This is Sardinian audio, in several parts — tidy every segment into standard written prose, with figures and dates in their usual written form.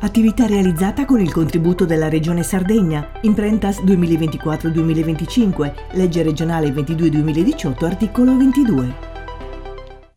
Attività realizzata con il contributo della Regione Sardegna, Imprentas 2024-2025, legge regionale 22-2018, articolo 22.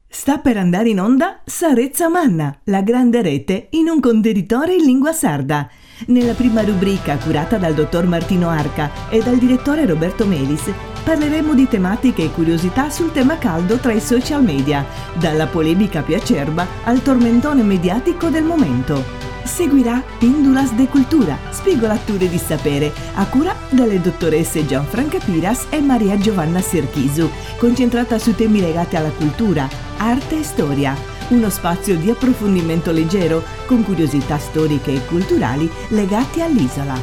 Sta per andare in onda Sa Retza Manna, la grande rete in un contenitore in lingua sarda. Nella prima rubrica, curata dal dottor Martino Arca e dal direttore Roberto Melis, parleremo di tematiche e curiosità sul tema caldo tra i social media, dalla polemica più acerba al tormentone mediatico del momento. Seguirà Pindulas de Cultura, spigolature di sapere, a cura delle dottoresse Gianfranca Piras e Maria Giovanna Serchisu, concentrata su temi legati alla cultura, arte e storia. Uno spazio di approfondimento leggero, con curiosità storiche e culturali legate all'isola.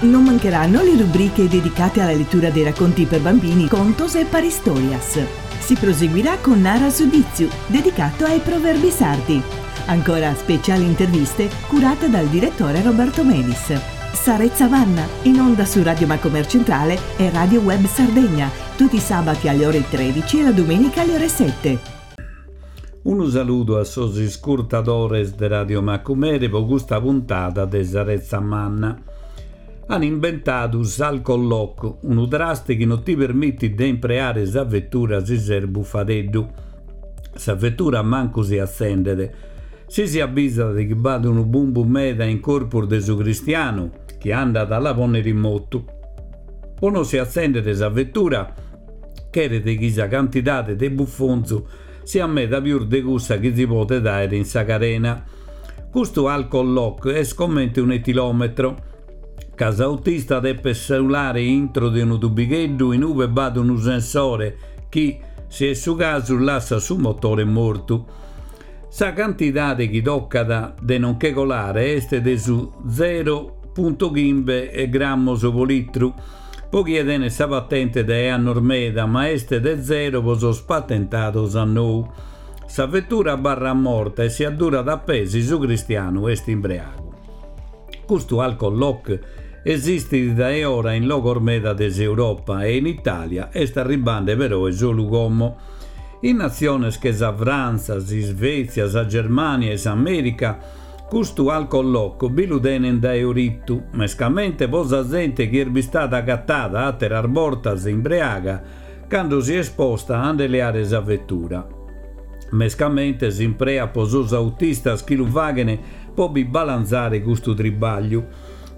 Non mancheranno le rubriche dedicate alla lettura dei racconti per bambini, contos e paristorias. Si proseguirà con Nara su Ditzu, dedicato ai proverbi sardi. Ancora speciali interviste curate dal direttore Roberto Melis. Sa Retza Manna, in onda su Radio Macomer Centrale e Radio Web Sardegna, tutti i sabati alle ore 13 e la domenica alle ore 7. Unu saludu a sos iscurtadores de Radio Macumere po custa puntada de Sa Retza Manna. An imbentadu s'alcolock, unu traste chi no ti permitit de impreare sa vetura si ses bufadeddu. Sa vetura mancu si atzendet. Si si abizat chi b'at unu bumbu meda in corpus de su cristianu chi andat a la pònnere in motu. Po no si atzèndere sa vetura cheret chi sa cantidade de bufonzu siat meda pius de cussa chi si podet àere in sa carena. Custu alcolock est comente un'etilòmetro, ca s'autista depet sulare intro de unu tubigheddu in ube b'at unu sensore chi, si est su casu, lassat su motore mortu. Sa cantidade chi tocat de non che colare est de su zero puntu chimbe grammos po litru po chie tenet sa patente dae annos meda, ma est de zero po sos patentados a nou. Sa vetura abarrat morta e si addurat a pè si su cristianu est imbreagu. Custu alcolock esistit dae ora in logos meda de s'Europa e in Itàlia est arribande peroe solu como. In natziones che sa Frantza, s'Isvètzia, sa Germània e s'Amèrica custu alcolock bi lu tenent dae oritu, mescamente po sa zente chi est bistada agatada àteras bortas imbreaga cando si est posta a nde leare sa vetura. Mescamente s'impreat po sos autistas chi lu faghent po bi balanzare custu tribagliu.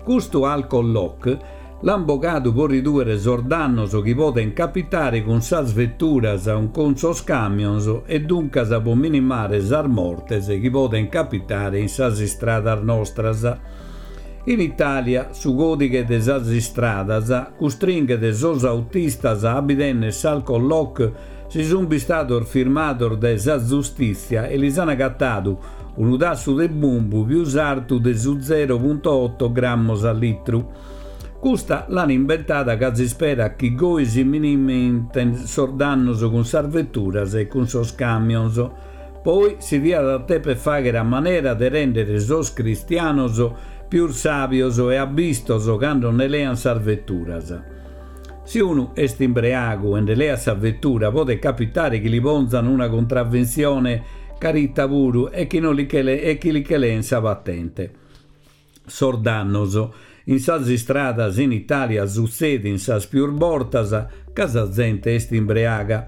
Custu alcolock l'ant bogadu po ridùere sos dannos chi podent capitare cun sas veturas o cun sos camions e duncas po minimare sas mortes chi podent capitare in sas istradas nostras. In Itàlia su còdighe de sas istradas custringhet sos autistas a bi tènnere s'alcolock si sunt bistados firmados dae sa zustìtzia e lis an agatadu unu tassu de bumbu pius artu de su zero punto oto grammos a litru. Custa l'an imbentada ca s'isperat chi goi si miniment sos dannos cun sas veturas e cun sos camions. Poi si diat a teper fàghere a manera de rèndere sos cristianos pius sàbios e abbistos cando nde leant sas veturas. Si unu est imbreagu e nde leat sa vetura podet capitare chi li ponzan una contraventzione carita puru e chi no li che e chi li che leen sa patente. Sos dannos in sas istradas in Italia sutzedin sas pius bortas ca sa zente est imbreaga.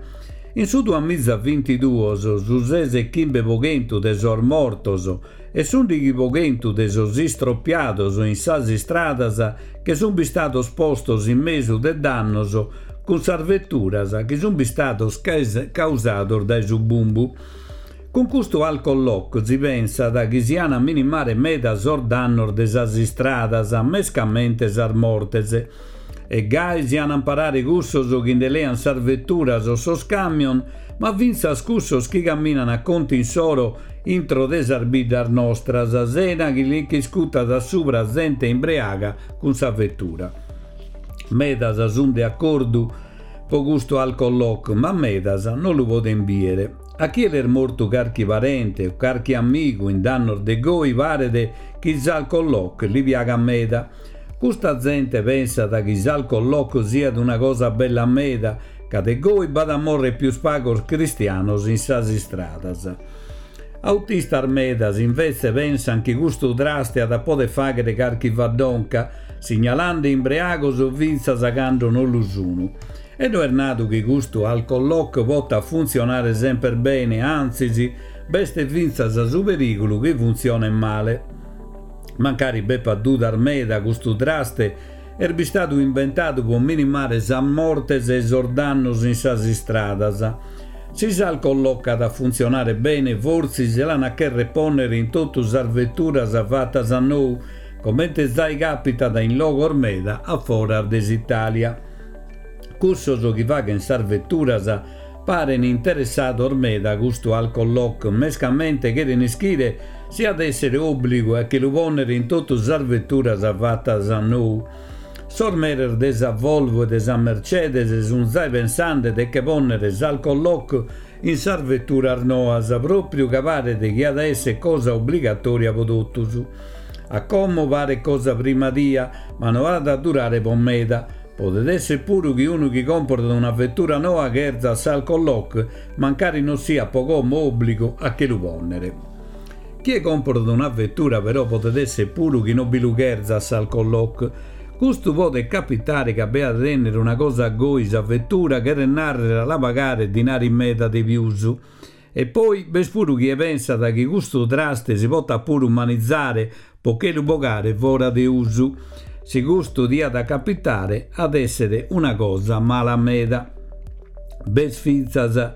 In su duamizavintiduos su ses e chimbe po chentu de sos mortos e s'undighi po chentu de sos istropiados in sas istradas che sun bistados postos in mesu de dannos cun sas veturas chi sun bistados causados dae su bumbu. Cun custu alcolock si pensat chi si an a minimare meda sos dannos de sas istradas, mescamente sas mortes. E gai si an a amparare cussos chi nde lean sas veturas o sos camion, ma fintzas cussos chi caminan a contu insoro intro de sas biddas nostras, sena chi li ch'iscutat a subra zente imbreaga cun sa vetura. Medas sun de acordu po custu alcolock, ma medas no lu poden bìere. A chie l'est mortu carchi parente o carchi amigu in dannos de goi paret chi s'alcolock li piagat meda. Custa zente pensat chi s'alcolock siat una cosa bella meda, ca de goi b'at a morrer pius pagos cristianos in sas istradas. Autistas medas invetze pensan chi custu traste at a poder fàghere carchi faddonca, signalande imbreagos fintzas cando non lu sunu. E no est nadu chi custu alcolock potat funtzionare semper bene, antzis, b'est fintzas su perìgulu chi funtzionet male. Mancari b'epat dudas meda custu traste est bistadu imbentadu pro minimare sas mortes e sos dannos in sas istradas. Si s'alcolock at a funtzionare bene fortzis l'an a chèrrere pònnere in totu sas veturas fatas a nou, comente zai càpitat in logos meda a foras de s'Itàlia. Cussos chi faghen sas veturas paren interessados meda a custu alcolock, mescamente cheren ischire si at èssere òbligu a che lu pònnere in totu sas veturas fatas a nou. Sos meres de sa Volvo e de sa Mercedes sun zai pensande de che pònnere s'alcolock in sas veturas noas, pròpriu ca paret chi at a èssere cosa obligatòria pro totus. A como paret cosa primadia, ma no at a durare pro meda. Podet èssere puru chi unu chi còmporat una vetura noa cherzat s'alcolock, mancari non siat pro como òbligu a che lu pònnere. Chie còmporat una vetura però podet èssere puru chi non bi lu cherzat s'alcolock. Custu podet capitare ca b'at a tènnere una cosa goi sa vetura cheret nàrrere a la pagare dinari meda de pius. E poi b'est puru chie pensat chi custu traste si potat puru manizare po che lu bogare fora de usu. Si custu diat a capitare at èssere una cosa mala meda. B'est fintzas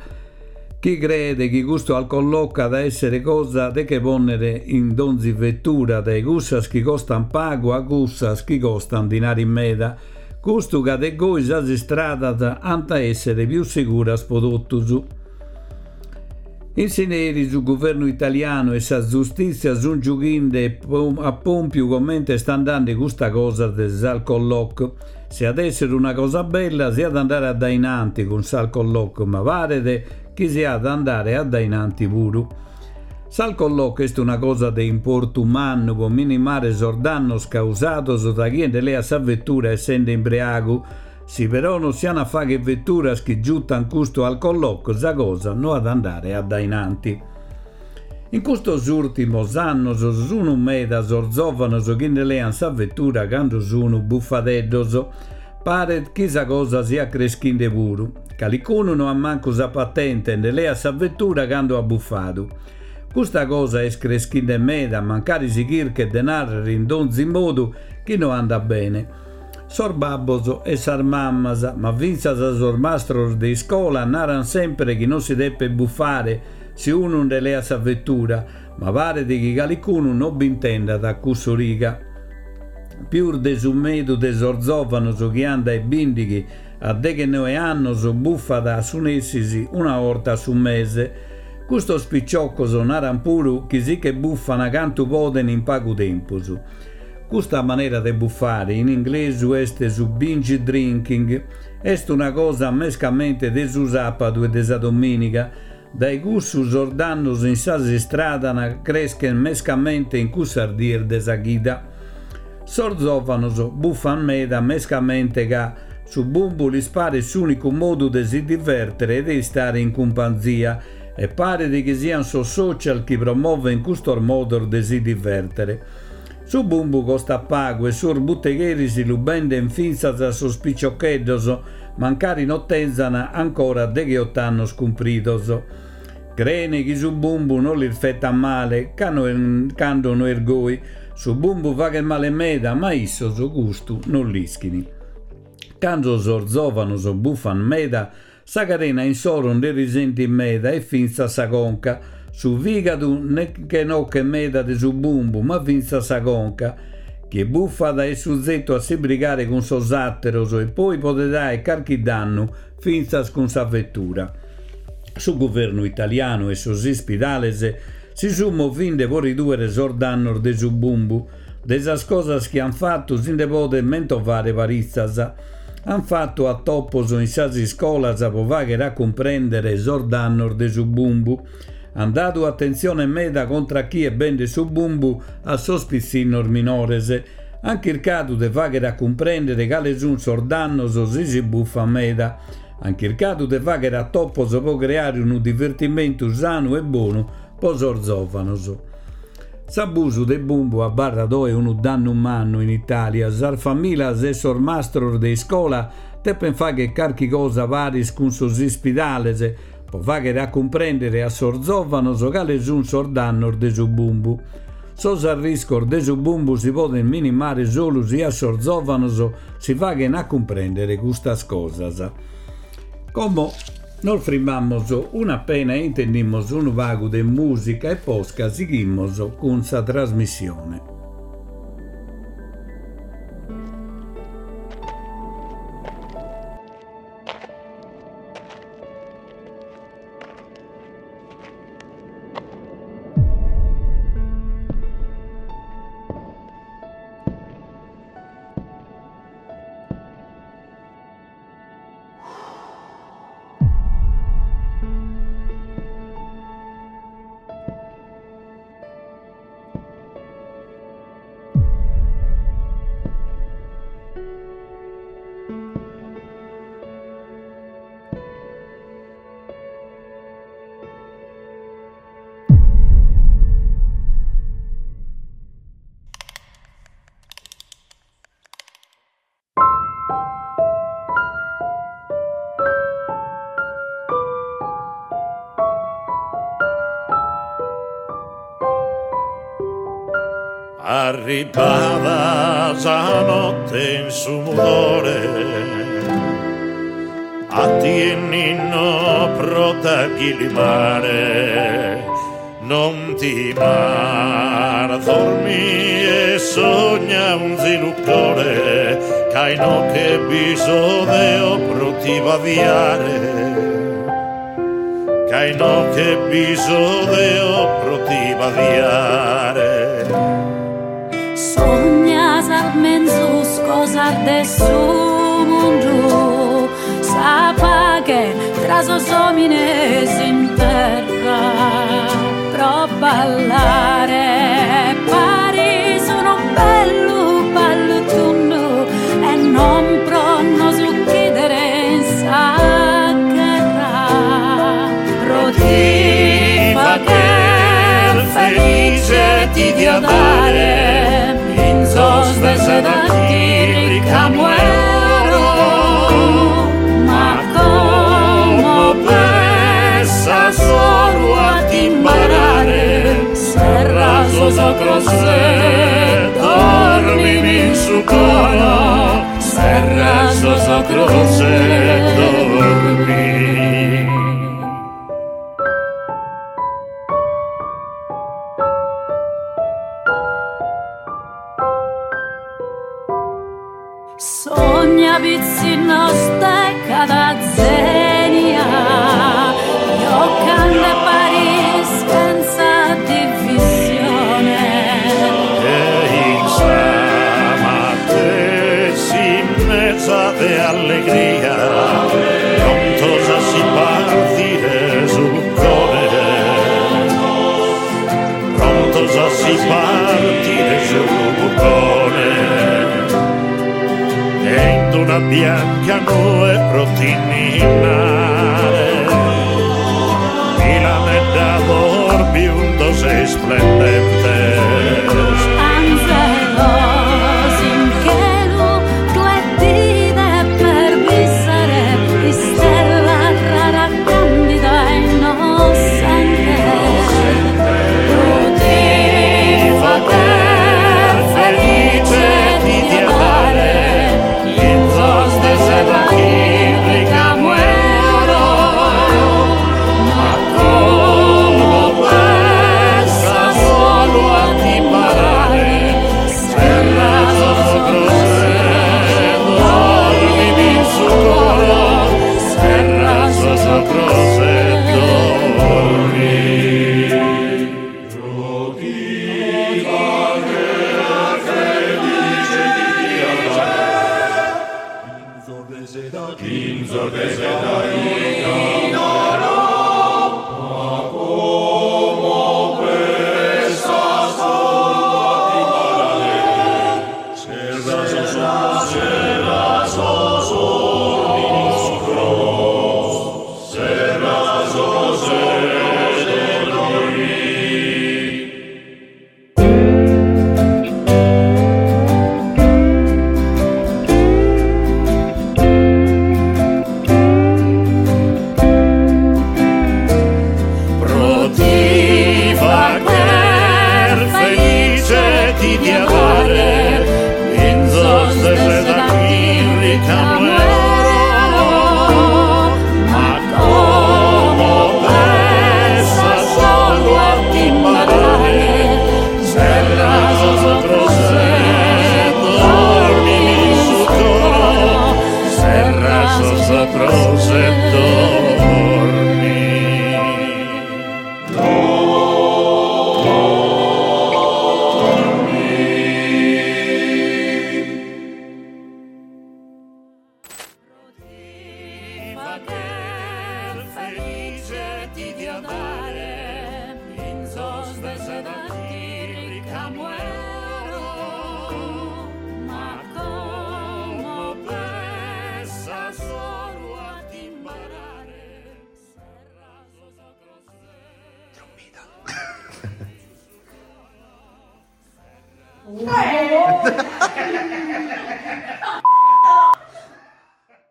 chi creet chi custu alcolock at a èssere cosa de che pònnere in donzi vetura, dae cussas chi costan pagu a cussas chi costan dinari meda. Custu ca de goi sas istradas ant a èssere pius seguras po totus. In s'ìnteri su guvernu italianu e sa zustìtzia sunt giughende a pòmpiu comente est andende custa cosa de s'alcolock. Si at èssere una cosa bella si at andare a dae in anti cun s'alcolock, ma paret chi si at andare a dae in anti puru. S'alcolock est una cosa de importu mannu pro minimare sos dannos causados dae chie nde leat sa vetura essende imbreagu, Si però non si an a fagher veturas chi giutan custu alcolock sa cosa no at andare a dae in anti. In custos ùrtimos annos sunu meda sos zòvanos chi nde lean sa vetura cando sunu bufadeddos. Paret chi sa cosa siat creschinde puru. Calicunu no at mancu sa patente e nde leat sa vetura cando at bufadu. Custa cosa est creschinde meda mancari si chirchet de nàrrere in donzi modu chi no andat bene. Sos babbos e sas mammas, ma fintzas sos mastros de iscola naran sempre chi non si depet bufare si unu nde leat sa vetura, ma paret chi calicunu non b'intendat a cuss'origa. Pius de su medu de sos zòvanos chi an dae bìndighi a deghenoe annos bufat a su nessis una 'orta a su mese. Custos piciocos naran puru chi si che bufan cantu poden in pagu tempus. Custa manera de bufare, in inglesu est su binge drinking, est una cosa mescamente de su sàpadu e de sa domìniga. Dae cussu sos dannos in sas istradas creschen mescamente in cussas dies de sa chida. Sos zòvanos bufan meda mescamente ca su bumbu lis paret s'ùnicu modu de si divèrtere e de istare in cumpanzia e paret chi sian sos social chi promoven custos modos de si divèrtere. Su bumbu costat pagu e sos butegheris lu benden fintzas a sos piciocheddos, mancari no tenzan ancora degheot'annos cumpridos. Creen chi su bumbu no lis fetat male, cando no est goi. Su bumbu faghet male meda, ma issos custu no l'ischin. Cando sos zòvanos bufan meda, Sa carena insoro nde risentit meda e fintzas sa conca. Su fìgadu nche nochet meda de su bumbu, ma fintzas sa conca. Chie bufat est suzetu a si brigare cun sos àteros e poi podet aer carchi dannu fintzas cun sa vetura. Su guvernu italianu e sos ispidales si sunt movinde pro ridùere sos dannos de su bumbu. De sas cosas chi ant fatu si nde podet mentovare paritzas. Ant fatu atopos in sas iscolas pro fàghere a cumprèndere sos dannos de su bumbu. Ant dadu atentzione meda contra a chie bendet su bumbu a sos pitzinnos minores. Ant chircadu de fàghere a cumprèndere cale sunt sos dannos si si bufat meda. Ant chircadu de fàghere atopos pro creare unu divertimentu sanu e bonu. po sos zòvanos. S'abusu de bumbu abarrat oe unu dannu mannu in Itàlia, sas famìlias e sos mastros de iscola depent fàghere carchi cosa paris cun sos ispidales pro fàghere a cumprèndere a sos zòvanos cales sunt sos dannos de su bumbu. Sos arriscos de su bumbu si podent minimare solu si a sos zòvanos si faghent a cumprèndere custas cosas. Como nos frimamus un'apena e intendimus unu pagu de mùsica e posca sighimus cun sa trasmissione. Arribada sa notte in su mudore A tie ninno pro t'achilimare Non timar dormi e sogna onzi lucore Ca inoche bi so deo pro ti badiare Ca inoche bi so deo pro ti badiare Sogna sas menzus cosas de su mundu Sa paghe tra sos omines in terra Pro ballare paris unu bellu ballu tundu E non pro nos uchidere in sa gherra Pro ti fagher felice ti dia dare Linzos de seda ricamo 'e oro Ma como pessa solu a t'imbarare Serra sos ocros e dormimi in su coro Serra sos ocros e dormi. Sogna pitzinnos de cada zenia Jocande paris chentza divisione. E in sa matessi mesa de allegria Prontos a si partire su buccone Prontos a si partire su buccone E in d'una bianca nue pro ti ninnare Milanedda biundos e isplendentes. Anzelos in chelu tue ti deper bisare istella rara candida e innossente Pro ti fagher felice ti dia dare linzos de seda chin ricamu 'e oro Ma como pessa solu a t'imbarare serra sos ocros e dormimi in su coro serra sos ocros e dormi. Pro ti fagher felice ti dia dare linzos de seda linzos de seda Ma como pessa solu a t'imbarare serra sos serra sos dormimi in su coro serra sos ocros e dormi. dia dare Pinzos de seda chin ricamu 'e oro Ma como pessa solu a t'imbarare Serra sos ocros e dormimi in su coro Serra sos ocros e dormi.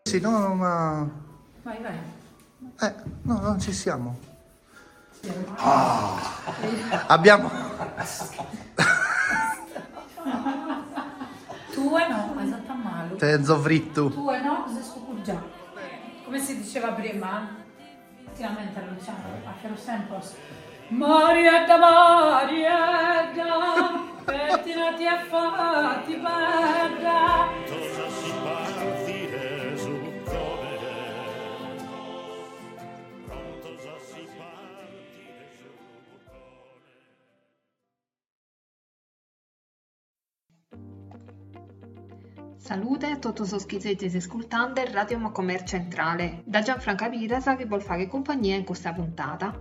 Sì, no, no, ma... Vai, vai. Eh, no, non ci siamo. Ah, abbiamo... Tue no, as 'atu malu. Tenzo frittu. Tue no, ses cucurgiadu. Come si diceva prima, ti lamentas Luciano, àteros tempos. Mariedda, Mariedda, pettinati e fatti bedda. Salude a totu sos chi sezis iscurtende Radio Macomer Centrale, da Gianfranca Piras chi bos faghet cumpagnia in custa puntada.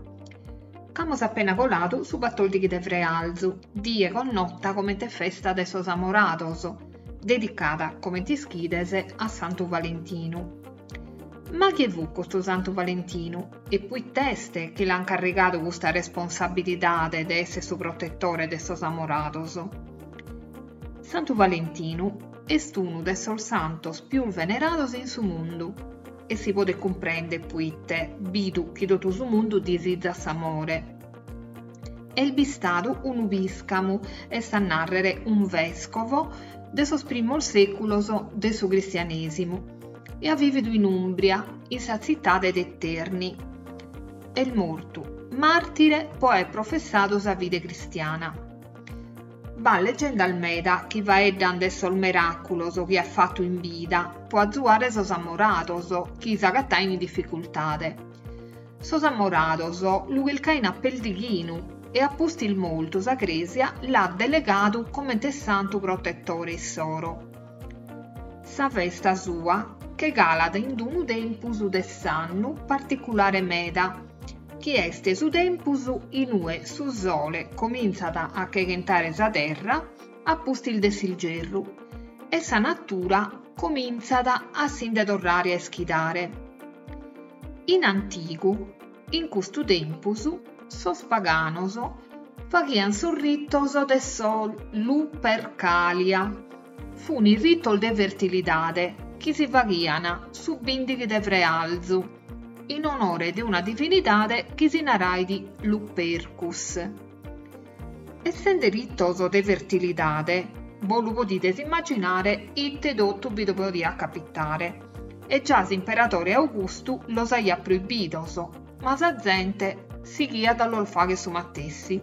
Ch'amus appena coladu su batòrdighi de frealzu, die connota comente festa de sos amorados, dedicada, comente ischides, a Santu Valentinu. Ma chie fut custu Santu Valentinu e puit'est chi l'an carrigadu custa responsabilidade de esser su protetore de sos amorados? Santu Valentinu est unu de sos santos pius venerados in su mundu e si podet cumprender puite, bidu chi totu su mundu disizat s'amore. Est bistadu unu pìscamu, est a nàrrere un vèscovo, de sos primos sèculos de su cristianèsimu e at vìvidu in Ùmbria, in sa tzitade de Terni. Est mortu màrtire po aer professadu sa fide cristiana. B'at legendas meda chi faeddan de sos meràculos chi at fatu in bida po azuare sos amorados chi s'agatain in dificultade. Sos amorados lu chircain a perdighinu e a pustis mortu sa Crèsia l'at delegadu comente santu protetore issoro. Sa festa sua che calat in unu tempus de s'annu particulare meda, chi est su tempus in ue su sole comintzat a cheghentare sa terra a pustis de s'ilgerru e sa natura comintzat a si nde torrare a ischidare. In antigu, in custu tempus, sos paganos faghiant sos ritos de sos Lupercalia, fun ritos de fertilidade chi si faghiant su bìndighi de frealzu, in onore de una divinidade chi si narait Lupercus. Essende ritos de fertilidade, bos lu podides immaginare ite totu bi podiat capitare, e già s'imperadore Augustu los aiat proibidos, ma sa zente sighiat a los fagher su matessi.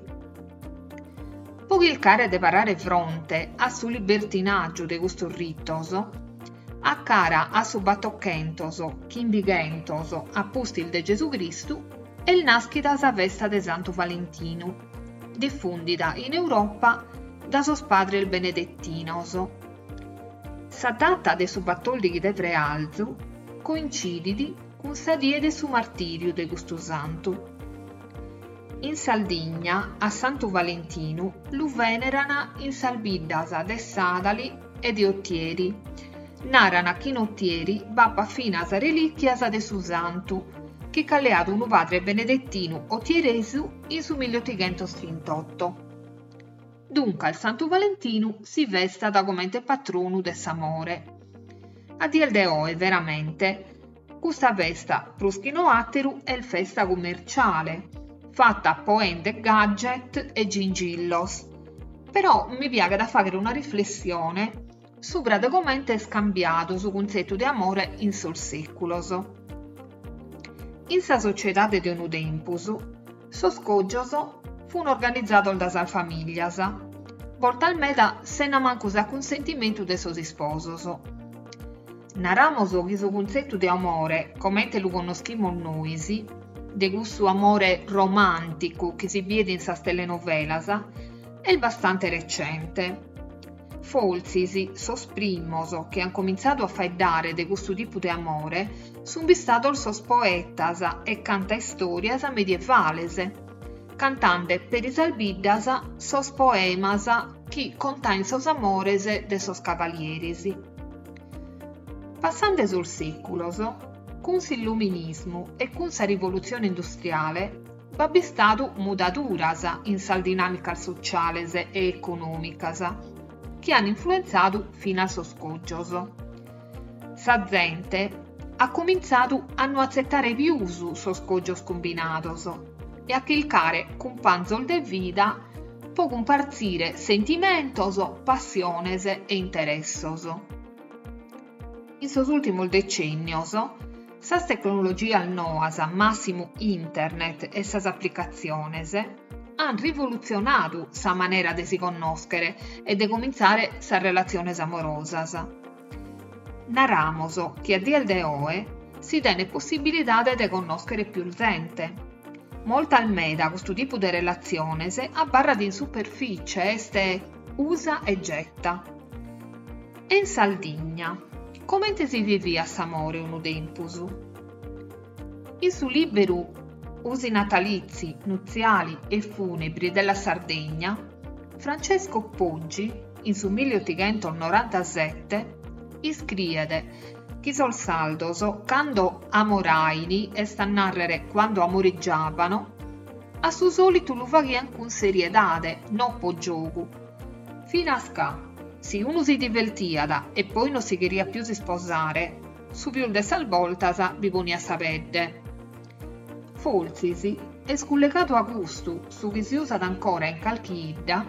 Po chircare de parare fronte a su libertinàgiu de custos ritos, A cara a su batochentos chimbighentos a pustis de Gesù Cristu est nàschida sa festa de Santu Valentinu, difùndida in Europa da sos padres benedetinos. Sa data de su batòrdighi de frealzu coincidit cun sa die de su martìriu de custu santu. In Sardigna a Santu Valentinu lu vèneran in sas biddas de Sàdali e de Otieri. Naran chi in Otieri b'apat finas relìchias de su santu, chi ch'at leadu unu padre benedettinu otieresu in su milliotighentostrintotto. Duncas Santu Valentinu si festat comente patronu de s'amore. A dies de oe, veramente, custa festa prus chi no àteru est festa cummerciale, fata po 'ender gadget e gingillos. Però mi piaghet a fàghere una riflessione subra de comente est cambiadu su cuntzetu de amore in sos sèculos. In sa sociedade de unu tempus, sos cògios fun organizados dae sas famìlias, bortas meda sena mancu s'acunsentimentu de sos isposos. Naramos chi su cuntzetu de amore, comente lu connoschimus nois, de cussu amore romànticu chi si biet in sas telenovelas, est bastante recente. Fortzis sos primos chi an comintzadu a faeddare de custu tipu de amore sun bistados sos poetas e cantaistòrias medievales, cantande peri sas biddas sos poemas chi contain sos amores de sos cavalieris. Passande sos sèculos, cun s'illuminismu e cun sa rivolutzione industriale, b'at bistadu mudaduras in sas dinàmicas sotziales e econòmicas chi an influentzadu finas sos cògios. Sa zente at comintzadu a no atzetare pius sos cògios cumbinados e a chircare cumpanzos de vida po cumpartzire sentimentos, passiones e interessos. In sos ùrtimos decènnios, sas tecnologias noas, màssimu internet e sas aplicatziones, ant rivolutzionadu sa manera de si connòschere e de comintzare sas relatziones amorosas. Naramos chi a dies de oe si tenet possibilidade de connòschere pius zente. Moltas meda custu tipu de relatziones abarrat in superficie, est usa e getta. E in Sardigna, comente si viviat s'amore unu tempus? In su lìberu Usi natalizi, nuziali e funebri della Sardegna, Francesco Poggi, in su milliotighentos-norantasete, iscriet chi sos sardos cando amoraini, est a nàrrere quando amoreggiavano, a su sòlitu lu faghian cun seriedade, no po giogu. Finas ca, si unu si divertiat e poi no si cheriat pius isposare, su pius de sas bortas bi poniat sa pedde. Fortzis est cullegadu a custu su chi si usat ancora in calchi 'idda,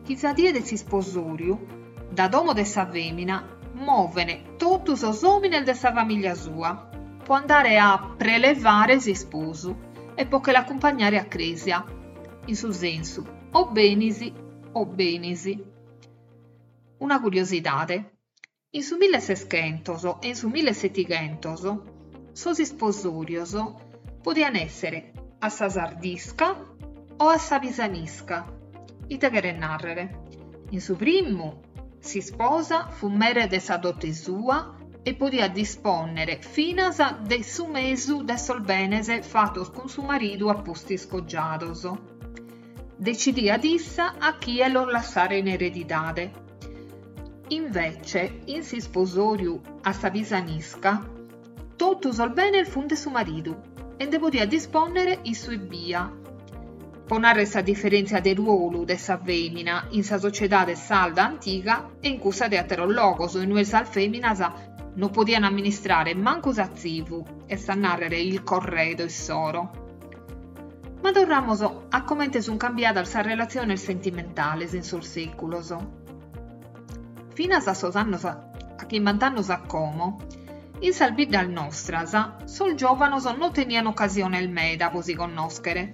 chi sa die de s'isposòriu, da domo de sa fèmina moven totu sos òmines de sa famìlia sua po andare a prelevare s'isposu e po che l'acumpagnare a crèsia, in su sensu o benis o benis. Una curiosidade, in su milleseschentos e in su millesetighentos sos isposòrios podian èssere a sa sardisca o a sa pisanisca. Ite cheret nàrrere? In su primu, s'isposa fut mere de sa dote sua e podiat dispònnere finas de su mesu de sos benes fatos cun su maridu a pustis cogiados. Decidiat issa a chie los lassare in eredidade. Invece, in s'isposòriu a sa pisanisca, totu sos benes funt de su maridu e nde podiat dispònnere issu ebbia. Po nàrrere sa diferèntzia de ruolu de sa fèmina in sa sociedade sarda antiga e in cussa de àteros logos in ue sas fèminas no podiant amministrare mancu s'atzivu, est a nàrrere il corredo issoro. Ma torramos a comente sunt cambiadas sas relatziones sentimentales in sos sèculos. Finas a sos annos a chimbant'annos a como, in sas biddas nostras sos giòvanos no teniant ocasiones meda po si connòschere.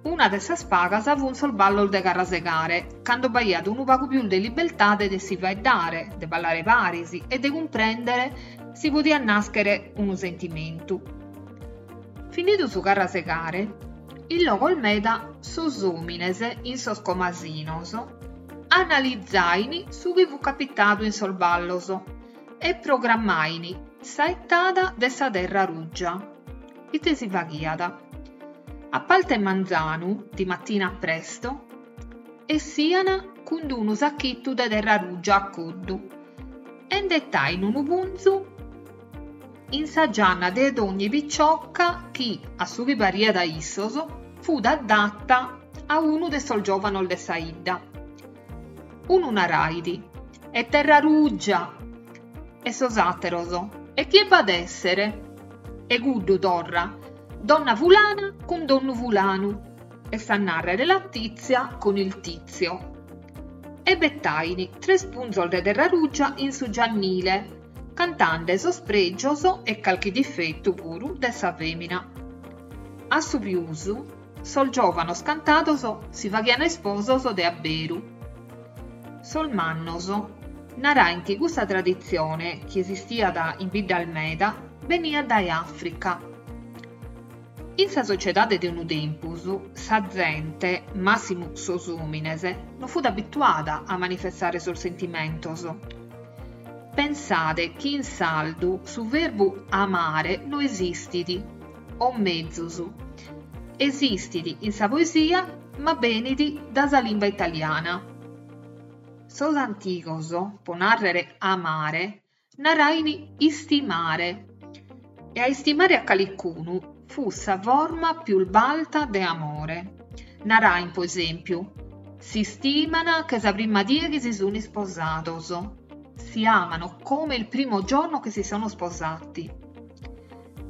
Una de sas pagas funt sos ballos de carrasegare, cando b'aiat unu pagu pius de libertade de si faeddare, de ballare paris e de cumprèndere si podiat nàschere unu sentimentu. Finidu su carrasegare, in logos meda sos òmines in sos comasinos analizain su chi fut capitadu in sos ballos e programmain sa 'ettada de sa terra ruggia. Ite si faghiat? A parte manzanu, di mattina presto, essian cun d'unu sacchittu de terra ruggia a coddu e nde 'etain unu punzu in sa gianna de dogni picciocca chi, a su chi pariat a issos, fut adatta a unu de sos giòvanos de sa 'idda. Unu narait, E terra ruggia! E sos àteros, E chie b'at èssere? E cuddu torra, Donna fulana cun donnu fulanu. Est a nàrrere la tizia con il tizio. E bettaini tres punzos de terra ruggia in su giannile, cantande sos pregios e calchi difettu puru de sa femina. A su pius, sos giovanos cantados si faghian isposos de abberu. Sos mannos narain chi custa traditzione, chi esistiat in biddas meda, beniat dae Àfrica. In sa sociedade de unu tempus, sa zente, màssimu sos òmines, no fut abituada a manifestare sos sentimentos. Pensade chi in sardu su verbu amare no esistit, o mezus, esistit in sa poesia ma benit da sa limba italiana. Sos antigos, po nàrrere amare, narain istimare, e a istimare a calicunu fut sa forma pius balta de amore. Narain, po esèmpiu, s'istiman che sa prima die chi si sun isposados, si amano come il primo giorno che si sono sposati.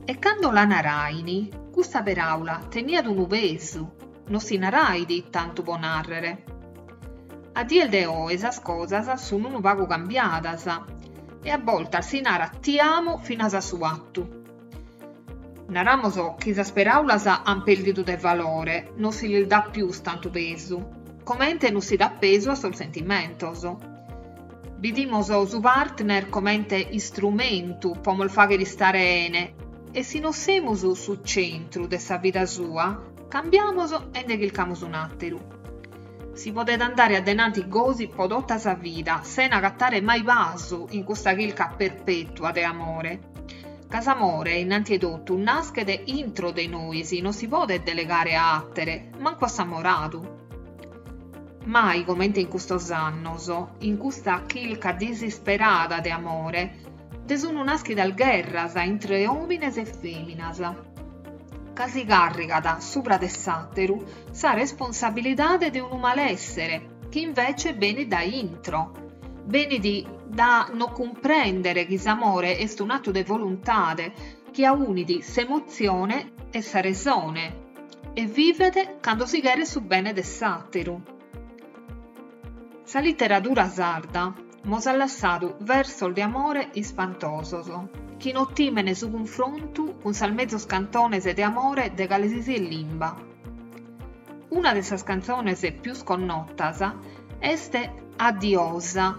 E cando la narain, custa peràula teniat unu pesu, no si narait tantu po nàrrere. A dies de oe sas cosas sun unu pagu cambiadas e a boltas si narat ti amo finas a su 'atu. Naramos chi sas peràulas an pèrdidu de valore, no si lis dat pius tantu pesu, comente no si dat pesu a sos sentimentos. Bidimos su partner comente istrumentu po mos fagher istare 'ene e si no semus su centru de sa vida sua, cambiamos e nde chircamos un'àteru. Si podet andare a denanti gosi po tota sa vida, sena agatare mai pasu in custa chirca perpètua de amore. Ca s'amore, innanti 'e totu, naschet intro de nois, non si podet delegare a àtere, mancu a s'amoradu. Mai comente in custos annos, in custa chirca disisperada de amore, nde sun nàschidas gherras intre òmines e fèminas, ca si càrrigat subra de s'àteru sa responsabilidade de unu malèssere chi invece benit dae intro, benit da no cumprèndere chi s'amore est un'atu de voluntade chi aunit s'emotzione e sa resone e vivet cando si cheret su bene de s'àteru. Sa literadura sarda mos at lassadu versos de amore ispantosos, chi no timen su cunfrontu cun sas mezus cantones de amore de cale si siet limba. Una de sas cantzones pius connotas est A diosa,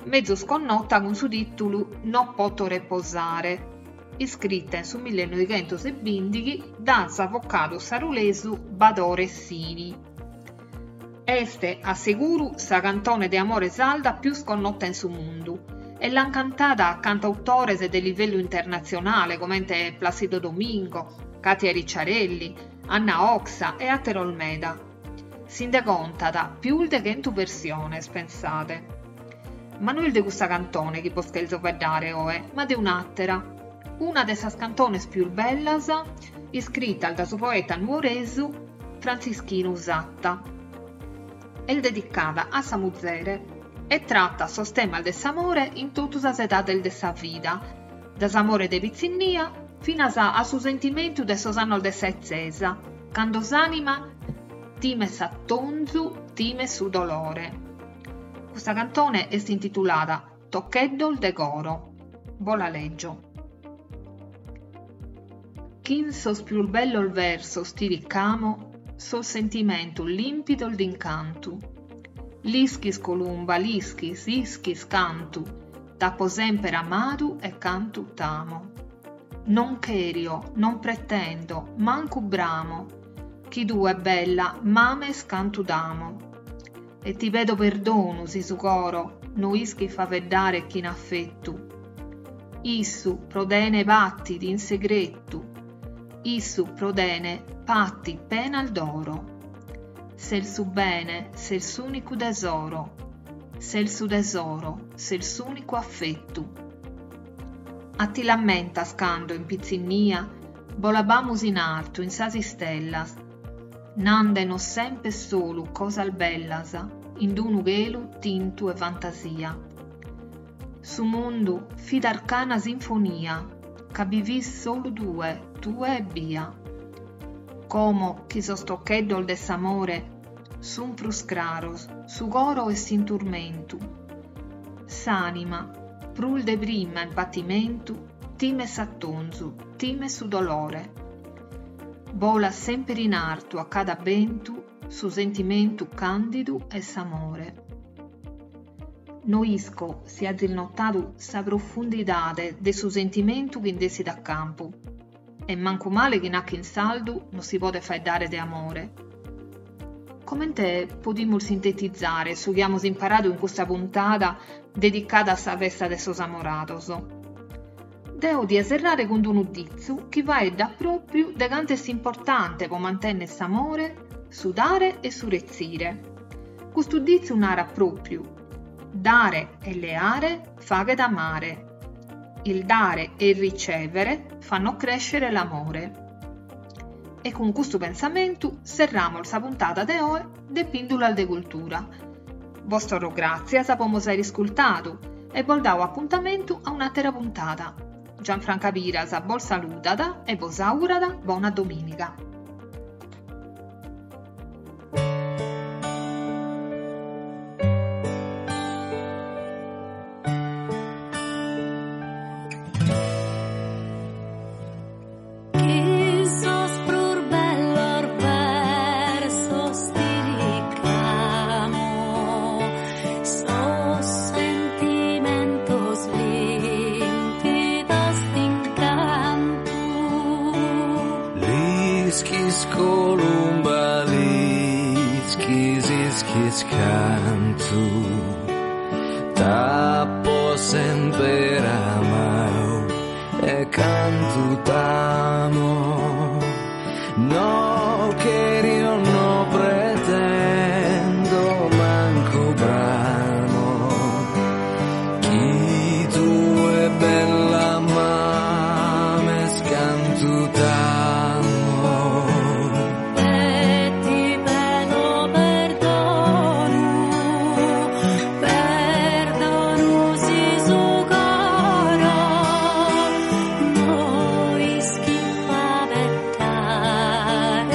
mezus connota cun su tìtulu No poto reposare, iscrita in su millenoighentos e bìndighi da s'avocadu sarulesu Badore Sini. Est, a seguru, sa cantone de amore sarda pius connota in su mundu e l'an cantada cantautores de livellu internatzionale comente Placido Domingo, Katia Ricciarelli, Anna Oxa e àteros meda. Si nde contat pius de chentu versiones, pensade. Ma no est de custa cantone chi bos chelzo faeddare oe, ma de un'àtera, una de sas cantones pius bellas iscritas da su poeta nuoresu Frantzischinu Satta. Est dedicada a sa muzere e tratat sos temas de s'amore in totu sas edades de sa vida, da s'amore de pitzinnia finas a su sentimentu de sos annos de sa 'etzesa, cando s'ànima timet s'atonzu, timet su dolore. Custa cantone est intitulada Tocheddos de coro. Bo la lègio. Chin sos pius bellos versos ti ricamo sos sentimentos limpidos d'incantu. L'ischis, columba, l'ischis, ischis cantu t'apo semper amadu e cantu t'amo. Non cherio, non pretendo, mancu bramo, chi tue, bella, m'ames cantu t'amo. E ti pedo perdonu si su coro no ischit faeddare chin affettu. Issu pro tene patit in segretu, issu pro tene patit penas d'oro. Ses su bene, ses s'unicu tesoro, ses su tesoro, ses s'unicu affettu. A ti l'ammentas cando, in pitzinnia, bolabamus in artu in sas istellas, Nande-nos semper solu cosas bellas in d'unu chelu tintu 'e fantasia. Su mundu fit arcana sinfonia ca bi fis solu tue, tue ebbia. Como chi sos tocheddos de s'amore sun prus craros, su coro est in turmentu. S'ànima, prus de prima in patimentu, timet s'atonzu, timet su dolore. Bolat semper in artu a cada bentu su sentimentu càndidu 'e s'amore. No isco si azis notadu sa profundidade de su sentimentu chi nd'essit a campu. E mancu male chi nachi in sardu no si podet faeddare de amore. Comente podimus sintetizare su chi amus imparadu in custa puntada dedicada a sa festa de sos amorados? Deo dia serrare cun unu ditzu chi faeddat pròpiu de cantu est importante pro mantènnere s'amore, su dare e su retzire. Custu ditzu narat pròpiu, dare e leare faghet amare. Il dare e il ricevere fanno crescere l'amore. E cun custu pensamentu serramos sa puntada de oe de Pìndulas de Cultura. Bos torro gràtzias po mos àere iscurtadu e bos dao apuntamentu a un'àtera puntada. Gianfranca Piras bos saludat e bos augurat bona domìniga. Chin sos prus bellos versos ti ricamo sos sentimentos limpidos d'incantu. L'ischis columba, l'ischis, ischis cantu t'apo semper amau e cantu t'amo. No cherio, no pretendo, mancu bramo chi tue bella m'ames cantu t'amo. E ti pedo perdonu, perdonu si su coro no ischit faeddare.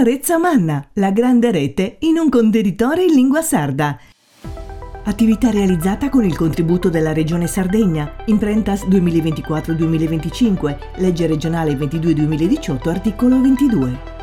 Sa Retza Manna, la grande rete in un contenitore in lingua sarda. Attività realizzata con il contributo della Regione Sardegna, Imprentas 2024-2025, legge regionale 22-2018, articolo 22.